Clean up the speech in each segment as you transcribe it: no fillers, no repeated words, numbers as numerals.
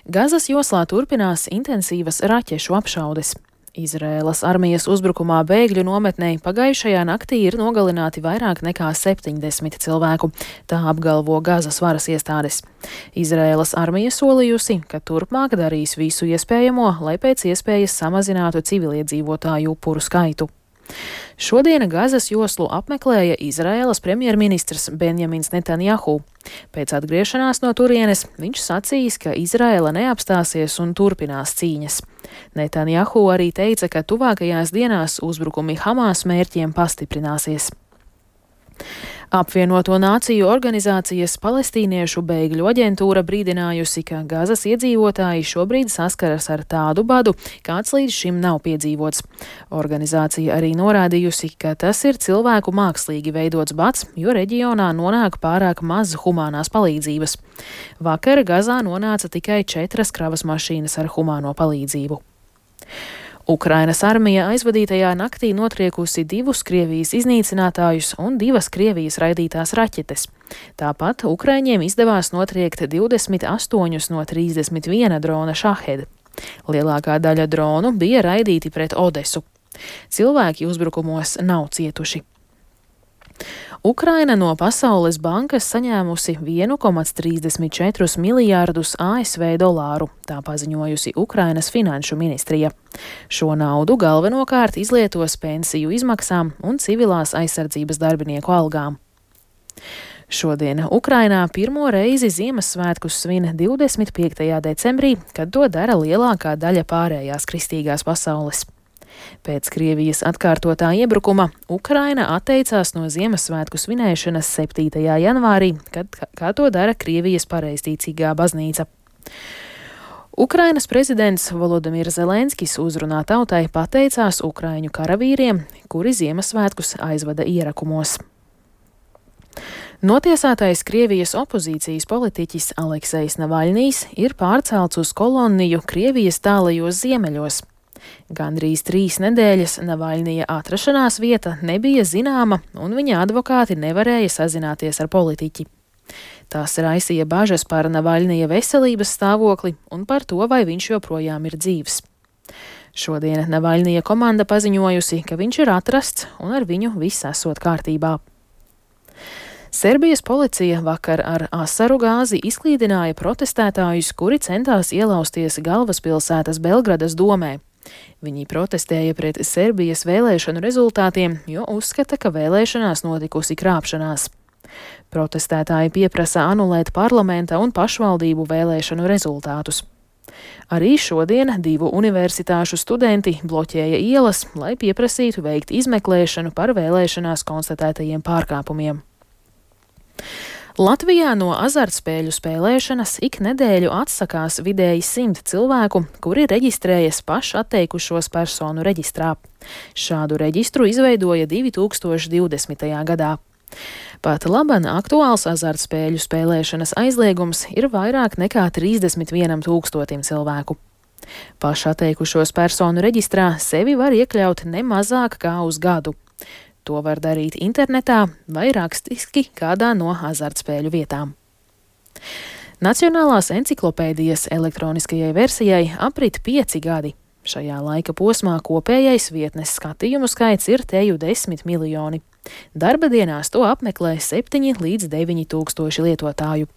Gazas joslā turpinās intensīvas raķešu apšaudes. Izraēlas armijas uzbrukumā bēgļu nometnē pagājušajā naktī ir nogalināti vairāk nekā 70 cilvēku, tā apgalvo Gazas varas iestādes. Izraēlas armija solījusi, ka turpmāk darīs visu iespējamo, lai pēc iespējas samazinātu civiliedzīvotāju upuru skaitu. Šodien Gazas joslu apmeklēja Izraēlas premjerministrs Benjamins Netanjahu. Pēc atgriešanās no turienes viņš sacījis, ka Izraēla neapstāsies un turpinās cīņas. Netanjahu arī teica, ka tuvākajās dienās uzbrukumi Hamas mērķiem pastiprināsies. Apvienoto Nāciju organizācijas palestīniešu bēgļu aģentūra brīdinājusi, ka Gazas iedzīvotāji šobrīd saskaras ar tādu badu, kāds līdz šim nav piedzīvots. Organizācija arī norādījusi, ka tas ir cilvēku mākslīgi veidots bads, jo reģionā nonāk pārāk maz humānās palīdzības. Vakar Gazā nonāca tikai 4 kravas mašīnas ar humāno palīdzību. Ukrainas armija aizvadītajā naktī notriekusi 2 Krievijas iznīcinātājus un 2 Krievijas raidītās raķetes. Tāpat Ukraiņiem izdevās notriekt 28 no 31 drona Šahed. Lielākā daļa dronu bija raidīti pret Odesu. Cilvēki uzbrukumos nav cietuši. Ukraina no Pasaules bankas saņēmusi 1,34 miljārdus ASV dolāru, tā paziņojusi Ukrainas finanšu ministrija. Šo naudu galvenokārt izlietos pensiju izmaksām un civilās aizsardzības darbinieku algām. Šodien Ukrainā pirmo reizi Ziemassvētkus svin 25. decembrī, kad to dara lielākā daļa pārējās kristīgās pasaules. Pēc Krievijas atkārtotā iebrukuma Ukraina atteicās no Ziemassvētku svinēšanas 7. janvārī, kā to dara Krievijas pareizticīgā baznīca. Ukrainas prezidents Volodimirs Zelenskis uzrunā tautai pateicās ukraiņu karavīriem, kuri Ziemassvētkus aizvada ierakumos. Notiesātais Krievijas opozīcijas politiķis Aleksejs Navaļnijs ir pārcelts uz koloniju Krievijas tālajos ziemeļos. Gandrīz 3 nedēļas Navaļnija atrašanās vieta nebija zināma, un viņa advokāti nevarēja sazināties ar politiķi. Tas raisīja bažas par Navaļnija veselības stāvokli un par to, vai viņš joprojām ir dzīvs. Šodien Navaļnija komanda paziņojusi, ka viņš ir atrasts un ar viņu viss esot kārtībā. Serbijas policija vakar ar asaru gāzi izklīdināja protestētājus, kuri centās ielausties galvaspilsētas Belgradas domē. Viņi protestēja pret Serbijas vēlēšanu rezultātiem, jo uzskata, ka vēlēšanās notikusi krāpšanās. Protestētāji pieprasa anulēt parlamenta un pašvaldību vēlēšanu rezultātus. Arī šodien 2 universitāšu studenti bloķēja ielas, lai pieprasītu veikt izmeklēšanu par vēlēšanās konstatētajiem pārkāpumiem. Latvijā no azartspēļu spēlēšanas ik nedēļu atsakās vidēji 100 cilvēku, kuri reģistrējas pašatteikušos personu reģistrā. Šādu reģistru izveidoja 2020. gadā. Pat laban aktuāls azartspēļu spēlēšanas aizliegums ir vairāk nekā 31 000 cilvēku. Pašatteikušos personu reģistrā sevi var iekļaut ne mazāk kā uz gadu. To var darīt internetā vai rakstiski kādā no azartspēļu vietām. Nacionālās enciklopēdijas elektroniskajai versijai aprit 5 gadi. Šajā laika posmā kopējais vietnes skatījumu skaits ir teju 10 miljoni. Darba dienās to apmeklē 7 līdz 9 tūkstoši lietotāju.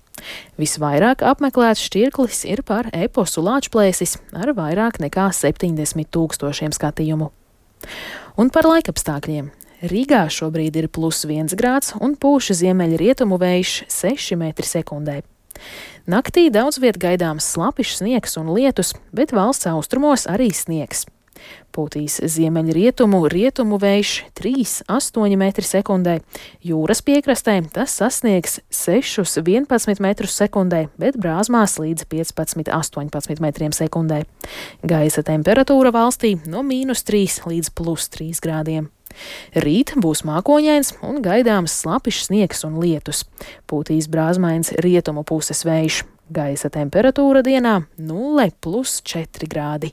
Visvairāk apmeklēts šķirklis ir par eposu Lāčplēsis ar vairāk nekā 70 000 skatījumu. Un par laikapstākļiem. Rīgā šobrīd ir +1 grāds un pūš ziemeļrietumu vējš 6 m/sekundē. Naktī daudz viet gaidāms slapjš sniegs un lietus, bet valsts austrumos arī sniegs. Pūtīs ziemeļrietumu vējš 3,8 m/sekundē, jūras piekrastē tas sasniegs 6,11 m/sekundē, bet brāzmās līdz 15,18 m/sekundē. Gaisa temperatūra valstī no -3 līdz +3 grādiem. Rīt būs mākoņains un gaidāms slapjš sniegs un lietus. Pūtīs brāzmains rietumu puses vējš. Gaisa temperatūra dienā 0 + 4 grādi.